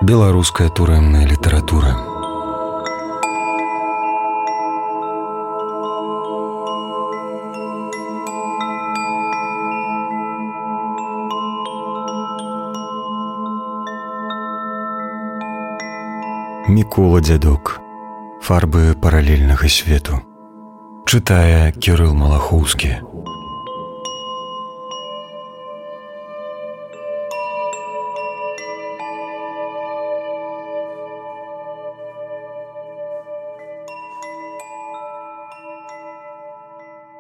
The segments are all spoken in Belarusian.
Беларуская турэмная літаратура. Мікола Дзядок. Фарбы паралельнага свету. Чытае Кірыл Малахоўскі.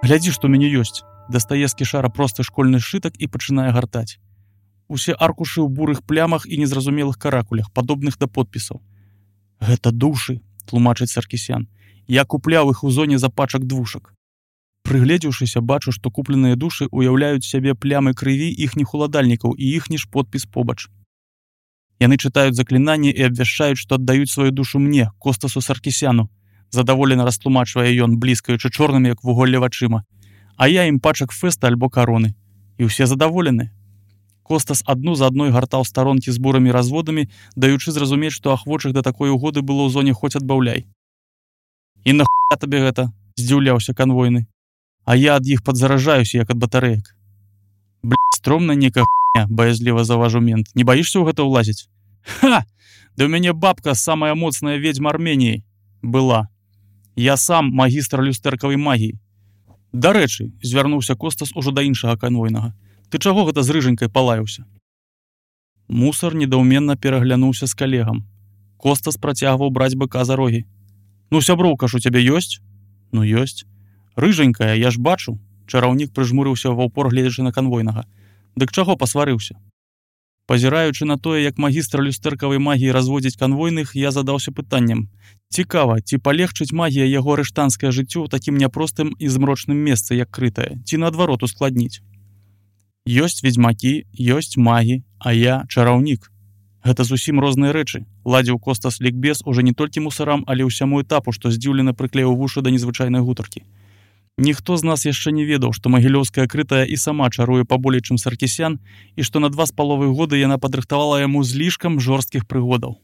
Глядзі, што ў мяне ёсць. Дастае з кішара просты школьны сшытак і пачынае гартаць. Усе аркушы ў бурых плямах і незразумелых каракулях, падобных да подпісаў. Гэта душы, тлумачыць Саркісян. Я купляў іх у зоне запачак двушак. Прыгледзеўшыся, бачу, што купленыя душы уяўляюць сябе плямы крыві іхніх уладальнікаў і іхні ж подпіс побач. Яны чытаюць заклінанні і абвяшчаюць, што аддаюць сваю душу мне, Костасу Саркісяну. Задаволена растлумачвае ён, бліскаючы чорнымі, як вуголле вачыма. А я ім пачак фэста альбо кароны. І ўсе задаволены. Костас адну за адной гартаў старонкі з бурымі разводамі, даючы зразумець, што ахвочых да такой угоды было ў зоне хоць адбаўляй. І нахуя табе гэта? Здзіўляўся канвойны. А я ад іх падзаражаюся, як ад батарэек. Стромна некая хуйня, баязліва заўважыў мент. Не баішся ў гэта ўлазіць? Ха! Да ў мяне бабка самая моцная ведзьма Арменіі. Была. Я сам магістр люстэркавай магіі. Дарэчы, звярнуўся Костас ужо да іншага канвойнага. Ты чаго гэта з рыжанькай палаяўся? Мусар недаўменна пераглянуўся з калегам. Костас працягваў браць быка за рогі. Ну, сяброўка ж у цябе ёсць? Ну, ёсць. Рыжанькая, я ж бачу. Чараўнік прыжмурыўся ва ўпор, гледзячы на канвойнага. Дык чаго пасварыўся? Пазіраючы на тое, як магістр люстэркавай магіі разводзіць канвойных, я задаўся пытаннем. Цікава, ці палегчыць магія яго арыштанскае жыццё ў такім няпростым і змрочным месцы, як крытае, ці наадварот ускладніць? Ёсць ведзьмакі, ёсць магі, а я чараўнік. Гэта зусім розныя рэчы. Ладзіў Костас лікбез уже не толькі мусарам, але ўсяму этапу, што здзіўлена прыклеіў вушы да незвычайнай гутаркі. Ніхто з нас яшчэ не ведаў, што магілёўская крытая і сама чаруе паболей, чым Саркісян, і што на 2,5 годы яна падрыхтавала яму злішкам жорсткіх прыгодаў.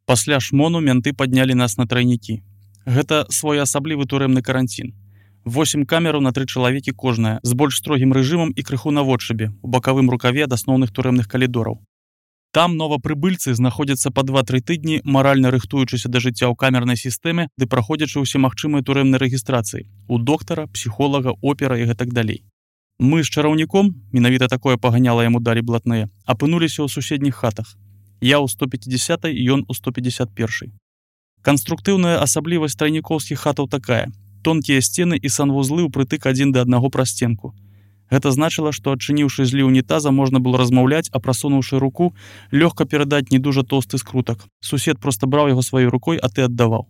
Пасля шмону менты паднялі нас на трайнікі. Гэта своеасаблівы турэмны каранцін. 8 камераў на 3 чалавекі кожная, з больш строгім рэжымам і крыху наводшыбе, у бакавым рукаве ад асноўных турэмных калідораў. Там новапрыбыльцы знаходзяцца па 2-3 тыдні, маральна рыхтуючыся да жыцця ў камернай сістэме, ды праходзячы ўсе магчымыя турэмныя рэгістрацыі у доктара, псіхолага, опера і гэтак далей. Мы з чараўніком, менавіта такое паганяла яму далі блатныя, апынуліся ў суседніх хатах. Я ў 150-й, ён у 151-й. Канструктыўная асаблівасць трайнікоўскіх хатаў такая: тонкія сцены і санвузлы ўпрытык адзін да аднаго праз сценку. Гэта значыла, што адчыніўшы зліў унітаза, можна было размаўляць, а прасунуўшы руку, лёгка перадаць не дужа тоўсты скрутак. Сусед проста браў яго сваёй рукой, а ты аддаваў.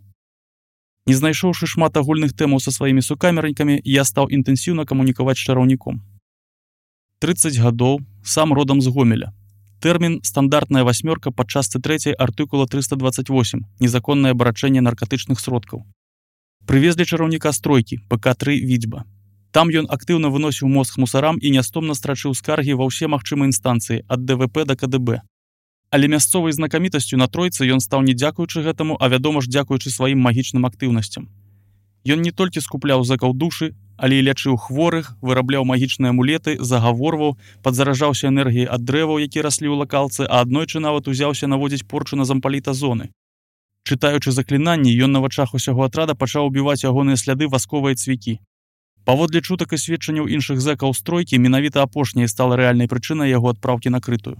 Не знайшоўшы шмат агульных тэмаў са сваімі сукамернікамі, я стаў інтэнсіўна камунікаваць з чараўніком. 30 гадоў, сам родам з Гомеля. Тэрмін стандартная 8 па частцы 3 артыкула 328, незаконнае абарачэнне наркатычных сродкаў. Прывезлі чараўніка з тройкі, ПК-3 Відзьба. Там ён актыўна выносіў мозг мусарам і нястомна страчыў скаргі ва ўсе магчымыя інстанцыі, ад ДВП да КДБ. Але мясцовай знакамітасцю на тройцы ён стаў не дзякуючы гэтаму, а вядома ж дзякуючы сваім магічным актыўнасцям. Ён не толькі скупляў зэкаў душы, але і лячыў хворых, вырабляў магічныя амулеты, загаворваў, падзаражаўся энергіяй ад дрэваў, які раслі ў лакалцы, а аднойчы нават узяўся наводзіць порчу на зампаліта зоны. Чытаючы заклінанні, ён на вачах усяго атрада пачаў убіваць ягоныя сляды васковыя цвікі. Паводле чутак і сведчанняў іншых зэкаў з тройкі, менавіта апошняе стала рэальнай прычынай яго адпраўкі на крытую.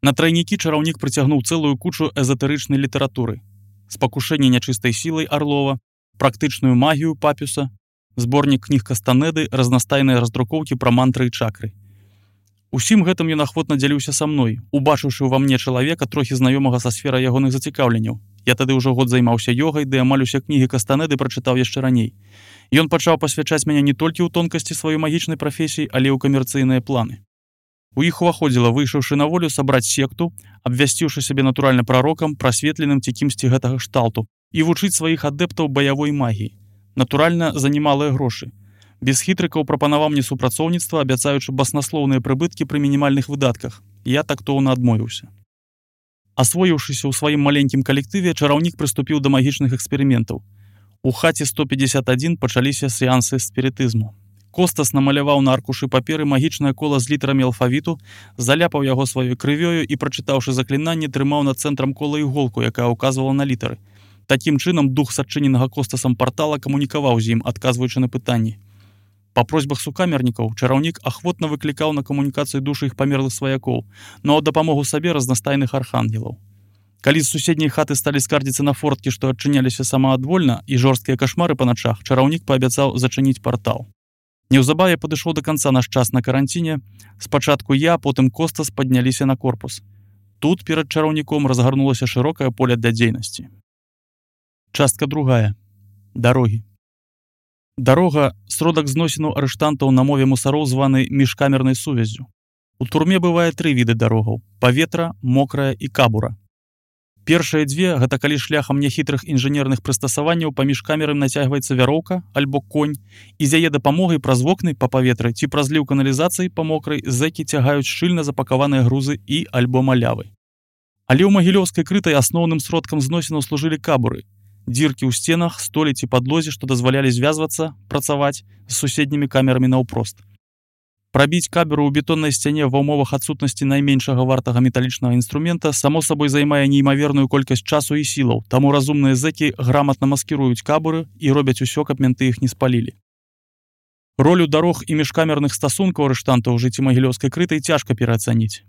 На трайнікі чараўнік прыцягнуў цэлую кучу эзатэрычнай літаратуры. Спакушэнне нячыстай сілай Арлова, практычную магію Папюса, зборнік кніг Кастанеды, разнастайныя раздрукоўкі пра мантры і чакры. Усім гэтым ён ахвотна дзяліўся са мной, убачыўшы ўва мне чалавека, трохі знаёмага са сферай ягоных зацікаўленняў. Я тады ўжо год займаўся ёгай, ды амаль усе кнігі Кастанеды прачытаў яшчэ раней. Ён пачаў пасвячаць мяне не толькі ў тонкасці сваёй магічнай прафесіі, але і ў камерцыйныя планы. У іх уваходзіла, выйшаўшы на волю, сабраць секту, абвясціўшы сябе натуральна прарокам, прасветленым ці кімсьці гэтага шталту, і вучыць сваіх адэптаў баявой магіі. Натуральна, за немалыя грошы. Без хітрыкаў прапанаваў мне супрацоўніцтва, абяцаючы баснаслоўныя прыбыткі пры мінімальных выдатках. Я тактоўна адмовіўся. Асвоіўшыся ў сваім маленькім калектыве, чараўнік прыступіў да магічных эксперыментаў. У хаце 151 пачаліся сеансы спірытызму. Костас намаляваў на аркушы паперы магічнае кола з літарамі алфавіту, заляпаў яго сваёй крывёю і, прачытаўшы заклінанне, трымаў над цэнтрам кола іголку, якая ўказвала на літары. Такім чынам дух садчыненага Костасам партала камунікаваў з ім, адказваючы на пытанні. Па просьбах сукамернікаў чараўнік ахвотна выклікаў на камунікацыю душы іх памерлых сваякоў, но дапамогу сабе разнастайных архангелаў. Калі з суседняй хаты сталі скардзіцца на форткі, што адчыняліся самаадвольна, і жорсткія кашмары па начах, чараўнік паабяцаў зачыніць партал. Неўзабаве падышоў да канца наш час на каранціне. Спачатку я, потым Костас падняліся на корпус. Тут перад чараўніком разгарнулася шырокае поле для дзейнасці. Частка 2. Дарогі. Дарога – сродак зносіну арыштантаў на мове мусароў, званы міжкамернай сувяззю. У турме бывае 3 віды дарогаў – паветра, мокрая і кабура. Першыя дзве – гэта калі шляхам няхітрых інжынерных прыстасаванняў паміж камерам нацягваецца вяроўка альбо конь, і з яе дапамогай праз вокны па паветры ці праз ліў каналізацыі па мокрай зэкі цягаюць шчыльна запакаваныя грузы і альбо малявы. Але ў магілёўскай крытай асноўным сродкам зносінаў служылі кабуры – дзіркі ў сценах, столі ці падлозе, што дазвалялі звязвацца, працаваць з суседнімі камерамі наўпрост. Прабіць каберу ў бетоннай сцяне ва ўмовах адсутнасці найменшага вартага металічнага інструмента само сабой займае неймаверную колькасць часу і сілаў, таму разумныя зэкі граматна маскіруюць кабуры і робяць усё, каб менты іх не спалілі. Ролю дарог і міжкамерных стасункаў арыштантаў у жыцці магілёўскай крытай цяжка пераацаніць.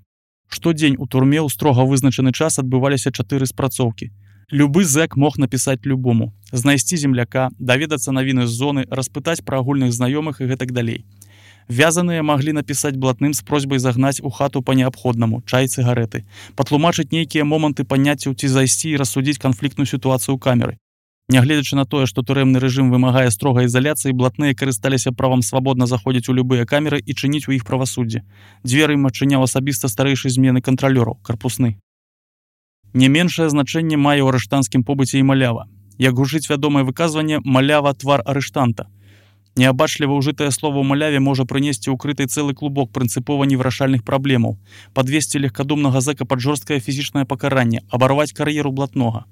Штодзень у турме ў строга вызначаны час адбываліся 4 спрацоўкі. Любы зэк мог напісаць любому, знайсці земляка, даведацца навіны з зоны, распытаць пра агульных знаёмых і гэтак далей. Вязаныя маглі напісаць блатным з просьбай загнаць у хату па неабходнаму, чай, цыгарэты, патлумачыць нейкія моманты паняццяў ці зайсці і рассудзіць канфліктную сітуацыю камеры. Нягледзячы на тое, што турэмны рэжым вымагае строгай ізаляцыі, блатныя карысталіся правам свабодна заходзіць у любыя камеры і чыніць у іх правасуддзе. Дзверы ім адчыняў асабіста старэйшы змены кантралёраў, карпусны. Не меншае значэнне мае ў арыштанцкім побыце і малява. Як гучыць вядомае выказванне, малява – твар арыштанта. Неабачліва ўжытае слова ў маляве можа прынесці ў крытай цэлы клубок прынцыпова невырашальных праблемаў, падвесці легкадумнага зэка пад жорсткае фізічнае пакаранне, абарваць кар'еру блатнога.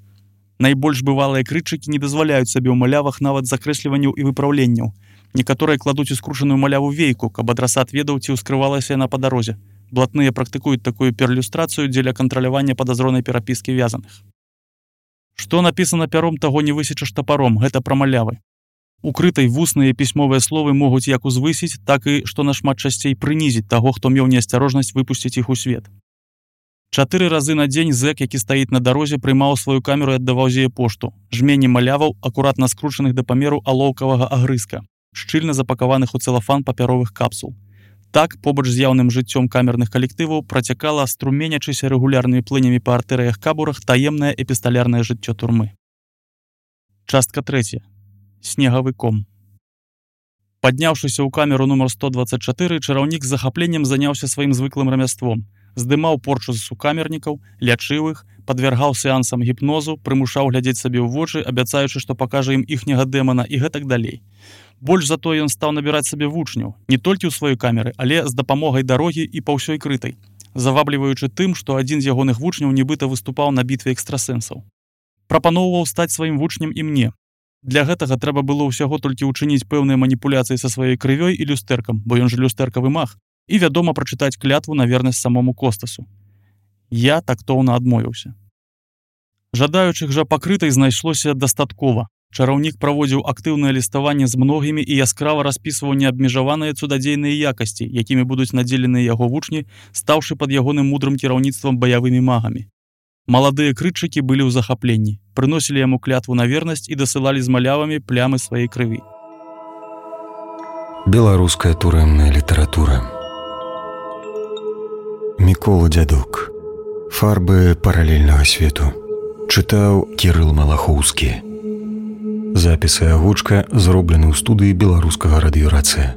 Найбольш бывалыя крытчыкі не дазваляюць сабе ў малявах нават закрэсліванняў і выпраўленняў. Некаторыя кладуць у скручаную маляву вейку, каб адрасат ведаў, ці ўскрывалася яна па дарозе. Блатныя практыкуюць такую перлюстрацыю дзеля кантралявання падазронай перапіскі вязаных. Што напісана пяром, таго не высечаш тапаром, гэта пра малявы. У крытай вусныя і пісьмовыя словы могуць як узвысіць, так і, што нашмат часцей, прынізіць таго, хто меў неасцярожнасць выпусціць іх у свет. 4 разы на дзень зэк, які стаіць на дарозе, прымаў сваю камеру і аддаваў з яе пошту. Жмені маляваў, акуратна скручаных да памеру алоўкавага агрызка, шчыльна запакаваных у цэлафан папяровых капсул. Так, побач з яўным жыццём камерных калектываў працякала, струменячыся рэгулярнымі плынямі па артэрыях-кабурах, таемнае эпісталярнае жыццё турмы. Частка 3. Снегавы ком. Падняўшыся ў камеру нумар 124, чараўнік з захапленнем заняўся сваім звыклым рамяством. Здымаў порчу з сукамернікаў, лячыў іх, падвяргаў сеансам гіпнозу, прымушаў глядзець сабе ў вочы, абяцаючы, што пакажа ім іхняга дэмана і гэтак далей. Больш за тое ён стаў набіраць сабе вучняў, не толькі ў сваёй камеры, але з дапамогай дарогі і па ўсёй крытай, завабліваючы тым, што адзін з ягоных вучняў нібыта выступаў на бітве экстрасэнсаў. Прапаноўваў стаць сваім вучнем і мне. Для гэтага трэба было ўсяго толькі ўчыніць пэўныя маніпуляцыі са сваёй крывёй і люстэркам, бо ён жа люстэркавы маг, і, вядома, прачытаць клятву на вернасць самому Костасу. Я тактоўна адмовіўся. Жадаючых жа пакрытай знайшлося дастаткова. Чараўнік праводзіў актыўнае ліставанне з многімі і яскрава распісваў неабмежаваныя цудадзейныя якасці, якімі будуць надзеленыя яго вучні, стаўшы пад ягоным мудрым кіраўніцтвам баявымі магамі. Маладыя крытчыкі былі ў захапленні, прыносілі яму клятву на вернасць і дасылалі з малявамі плямы сваёй крыві. Беларуская турэмная літаратура. Мікола Дзядок. Фарбы паралельнага свету. Чытаў Кірыл Малахоўскі. Запісы агучка зроблены ў студыі беларускага радыёрацыя.